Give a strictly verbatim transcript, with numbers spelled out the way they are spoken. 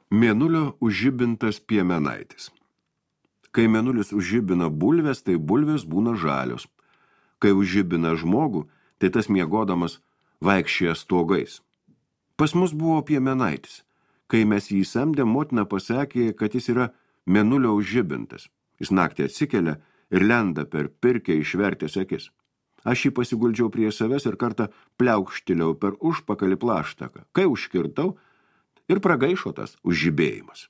Mėnulio užžibintas piemenaitis. Kai mėnulis užžibina bulves, tai bulvės būna žalios. Kai užžibina žmogų, tai tas miegodamas vaikščioja stogais. Pas mus buvo piemenaitis. Kai mes jį samdėm, motina pasakė, kad jis yra mėnulio užžibintas. Jis naktį atsikelia ir lenda per pirkę išvertęs akis. Aš jį pasiguldžiau prie savęs ir kartą pliaukštiliau per užpakalį plaštaką. Kai užkirtau, ir pragaišo tas užžibėjimas.